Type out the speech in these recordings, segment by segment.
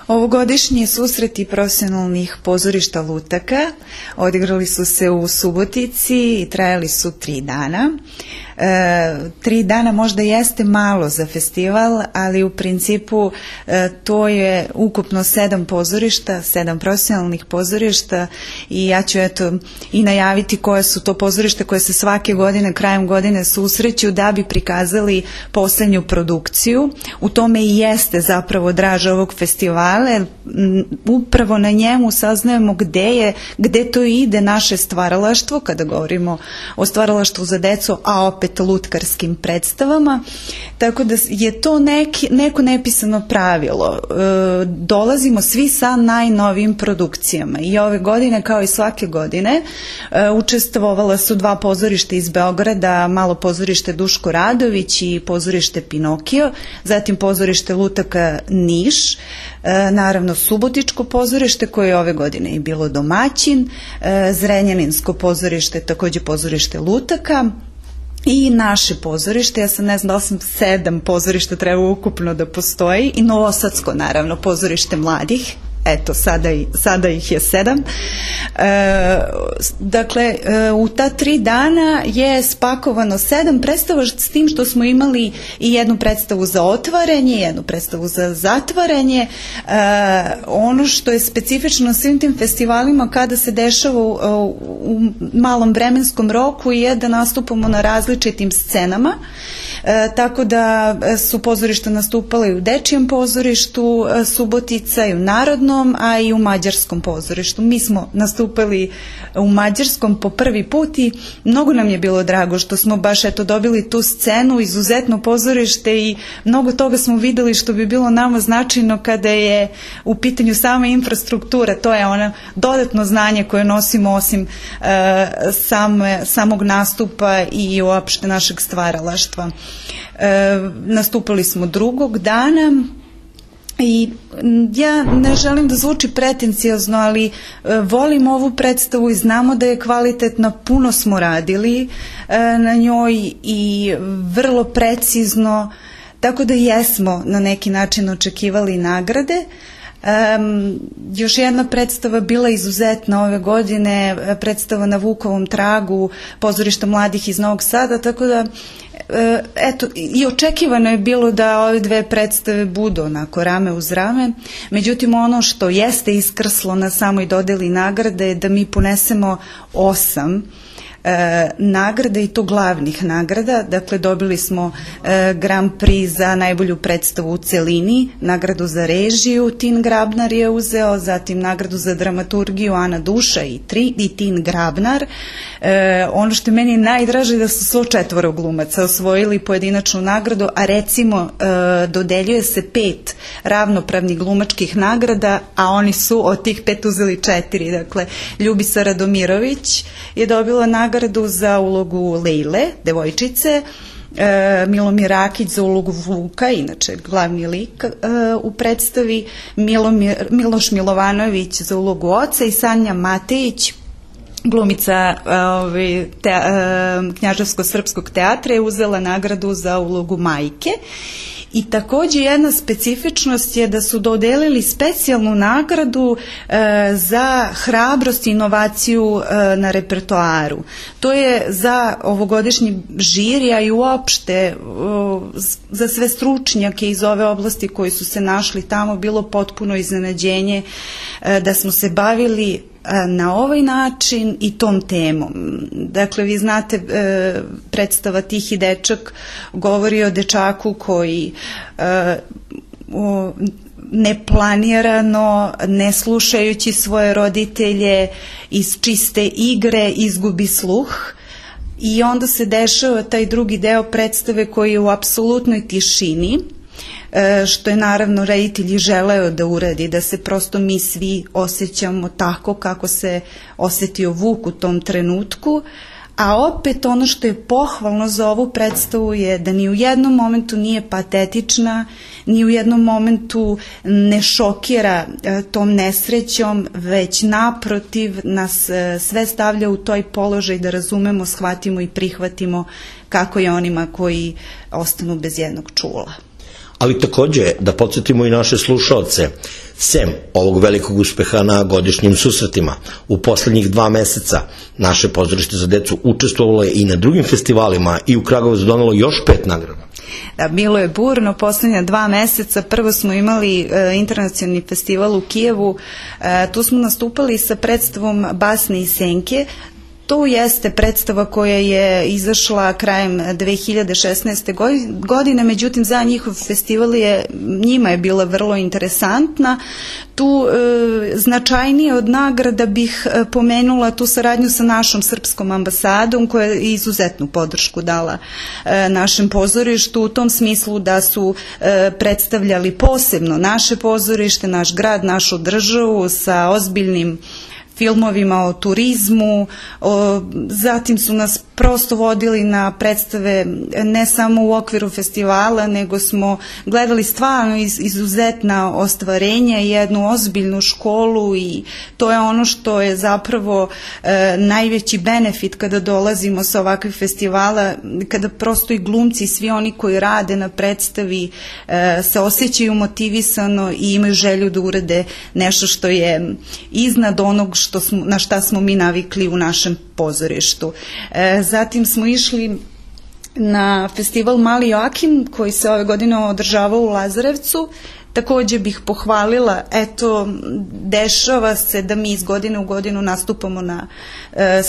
Ovogodišnji susreti profesionalnih pozorišta lutaka odigrali su se u Subotici i trajali su 3 dana. 3 dana možda jeste malo za festival, ali u principu to je ukupno 7 pozorišta, 7 profesionalnih pozorišta i ja ću i najaviti koje su to pozorište koje se svake godine, krajem godine susreću da bi prikazali poslednju produkciju. U tome i jeste zapravo draža ovog festivala. Upravo na njemu saznajemo gde to ide naše stvaralaštvo, kada govorimo o stvaralaštvu za decu, a opet lutkarskim predstavama, tako da je to neko nepisano pravilo. Dolazimo svi sa najnovijim produkcijama i ove godine, kao i svake godine, učestvovala su 2 pozorišta iz Beograda, malo pozorište Duško Radović i pozorište Pinokio, zatim pozorište lutaka Niš, naravno Subotičko pozorište koje je ove godine i bilo domaćin, Zrenjaninsko pozorište, takođe pozorište lutaka, i naše pozorište, ja sam ne znam da li sam 7 pozorišta treba ukupno da postoji, i Novosadsko naravno pozorište mladih, eto sada ih je 7. Dakle, u ta 3 dana je spakovano 7 predstava, s tim što smo imali i jednu predstavu za otvaranje, jednu predstavu za zatvaranje. Ono što je specifično na svim tim festivalima kada se dešava u malom vremenskom roku je da nastupamo na različitim scenama, tako da su pozorišta nastupala i u Dečijem pozorištu Subotica i u Narodnom, a i u Mađarskom pozorištu. Mi smo nastupali u Mađarskom po prvi put i mnogo nam je bilo drago što smo baš dobili tu scenu, izuzetno pozorište i mnogo toga smo videli što bi bilo nama značajno kada je u pitanju sama infrastruktura. To je ono dodatno znanje koje nosimo osim samog nastupa i uopšte našeg stvaralaštva. Nastupali smo drugog dana i ja ne želim da zvuči pretenciozno, ali volim ovu predstavu i znamo da je kvalitetna, puno smo radili na njoj i vrlo precizno, tako da jesmo na neki način očekivali nagrade. Još jedna predstava bila izuzetna ove godine, predstava na Vukovom tragu pozorišta mladih iz Novog Sada, tako da eto, i očekivano je bilo da ove 2 predstave budu onako rame uz rame. Međutim, ono što jeste iskrslo na samoj dodeli nagrade je da mi ponesemo 8 nagrada, i to glavnih nagrada. Dakle, dobili smo Grand Prix za najbolju predstavu u celini, nagradu za režiju Tin Grabnar je uzeo, zatim nagradu za dramaturgiju Ana Duša i Tin Grabnar. Ono što je meni najdraže da su 104 glumaca osvojili pojedinačnu nagradu, a recimo dodeljuje se 5 ravnopravnih glumačkih nagrada, a oni su od tih 5 uzeli 4. Dakle, Ljubisa Radomirović je dobila nagradu za ulogu Lejle, devojčice, Milomir Rakić za ulogu Vuka, inače glavni lik u predstavi, Miloš Milovanović za ulogu oca i Sanja Matejić, glumica Knjaževsko-srpskog teatra, je uzela nagradu za ulogu majke. I takođe jedna specifičnost je da su dodelili specijalnu nagradu za hrabrost i inovaciju na repertoaru. To je za ovogodišnji žiri, a i uopšte za sve stručnjake iz ove oblasti koji su se našli tamo bilo potpuno iznenađenje da smo se bavili na ovaj način i tom temom. Dakle, vi znate, predstava Tihi dečak govori o dečaku koji neplanirano, ne slušajući svoje roditelje, iz čiste igre izgubi sluh. I onda se dešava taj drugi deo predstave koji je u apsolutnoj tišini, što je naravno reditelj želeo da uradi, da se prosto mi svi osjećamo tako kako se osetio Vuk u tom trenutku, a opet ono što je pohvalno za ovu predstavu je da ni u jednom momentu nije patetična, ni u jednom momentu ne šokira tom nesrećom, već naprotiv nas sve stavlja u toj položaj da razumemo, shvatimo i prihvatimo kako je onima koji ostanu bez jednog čula. Ali takođe da podsjetimo i naše slušaoce, sem ovog velikog uspeha na godišnjim susretima, u poslednjih 2 meseca naše pozorište za decu učestvovalo je i na drugim festivalima i u Kragujevcu donelo još 5 nagrada. Da, bilo je burno, poslednja 2 meseca. Prvo smo imali internacionalni festival u Kijevu, tu smo nastupali sa predstavom Basne i senke. To jeste predstava koja je izašla krajem 2016. godine, međutim za njihov festival njima je bila vrlo interesantna. Tu značajnije od nagrada bih pomenula tu saradnju sa našom srpskom ambasadom koja je izuzetnu podršku dala našem pozorištu u tom smislu da su predstavljali posebno naše pozorište, naš grad, našu državu sa ozbiljnim filmovima o turizmu, zatim su nas prosto vodili na predstave ne samo u okviru festivala, nego smo gledali stvarno izuzetna ostvarenja i jednu ozbiljnu školu i to je ono što je zapravo najveći benefit kada dolazimo sa ovakvih festivala, kada prosto i glumci i svi oni koji rade na predstavi se osjećaju motivisano i imaju želju da urade nešto što je iznad onog na šta smo mi navikli u našem pozorištu. Zatim smo išli na festival Mali Joakim koji se ove godine održavao u Lazarevcu. Takođe bih pohvalila, eto, dešava se da mi iz godine u godinu nastupamo na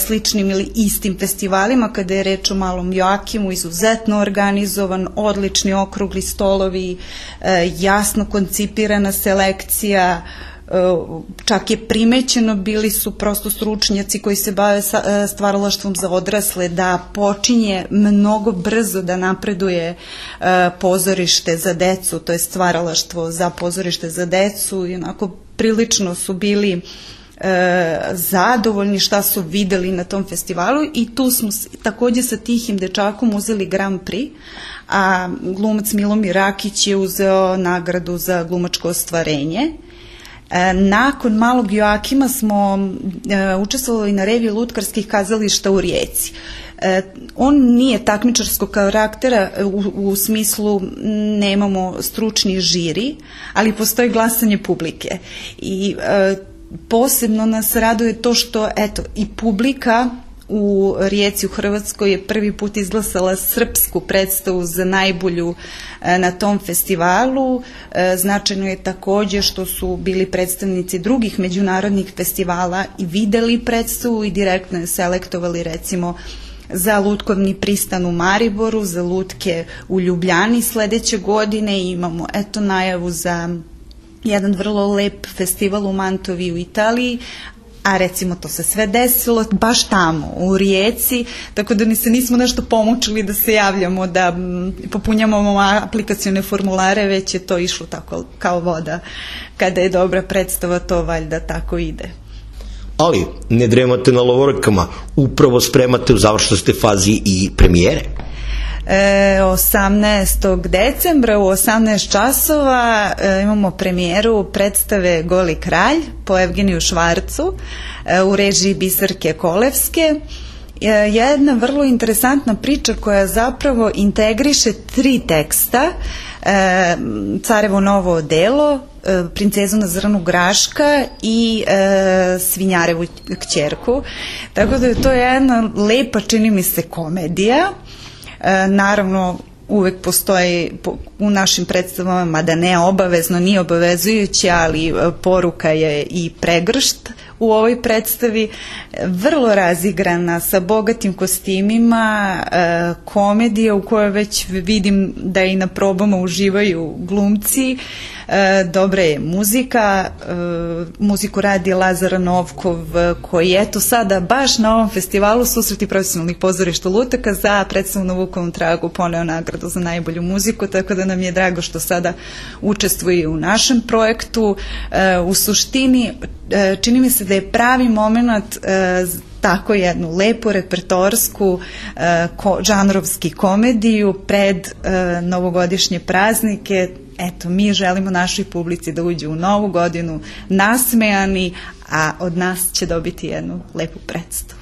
sličnim ili istim festivalima kada je reč o Malom Joakimu, izuzetno organizovan, odlični okrugli stolovi, jasno koncipirana selekcija, čak je primećeno, bili su prosto stručnjaci koji se bave stvaralaštvom za odrasle, da počinje mnogo brzo da napreduje pozorište za decu, to je stvaralaštvo za pozorište za decu i onako prilično su bili zadovoljni šta su videli na tom festivalu i tu smo takođe sa Tihim dečakom uzeli Grand Prix, a glumac Milomir Rakić je uzeo nagradu za glumačko ostvarenje. Nakon Malog Joakima smo učestvovali na reviji lutkarskih kazališta u Rijeci. On nije takmičarskog karaktera u smislu nemamo stručni žiri, ali postoji glasanje publike i posebno nas raduje to što eto i publika u Rijeci u Hrvatskoj je prvi put izglasala srpsku predstavu za najbolju na tom festivalu. Značajno je takođe što su bili predstavnici drugih međunarodnih festivala i videli predstavu i direktno je selektovali recimo za lutkovni pristan u Mariboru, za lutke u Ljubljani sledeće godine i imamo eto najavu za jedan vrlo lep festival u Mantovi u Italiji, a recimo to se sve desilo baš tamo, u Rijeci, tako da ni se nismo nešto pomučili da se javljamo, da popunjamo aplikacione formulare, već je to išlo tako kao voda. Kada je dobra predstava, to valjda tako ide. Ali ne dremate na lovorikama, upravo spremate u završnoj fazi i premijere. 18. decembra u 18 časova imamo premijeru predstave Goli kralj po Evgeniju Švarcu u režiji Biserke Kolevske. Jedna vrlo interesantna priča koja zapravo integriše 3 teksta: Carevo novo odelo, Princezu na zrnu graška i Svinjarevu kćerku. Tako da je to jedna lepa, čini mi se, komedija. Naravno, uvek postoji u našim predstavama, mada ne obavezno, nije obavezujuće, ali poruka je i pregršt u ovoj predstavi, vrlo razigrana, sa bogatim kostimima, komedija u kojoj već vidim da i na probama uživaju glumci, dobra je muzika, muziku radi Lazar Novkov, koji eto sada baš na ovom festivalu Susreti profesionalnih pozorišta lutaka za predstavu na Vukovom tragu poneo nagradu za najbolju muziku, tako da nam je drago što sada učestvuje u našem projektu. U suštini čini mi se da je pravi moment tako jednu lepu repertoarsku žanrovski komediju pred novogodišnje praznike. Eto, mi želimo našoj publici da uđe u novu godinu nasmejani, a od nas će dobiti jednu lepu predstavu.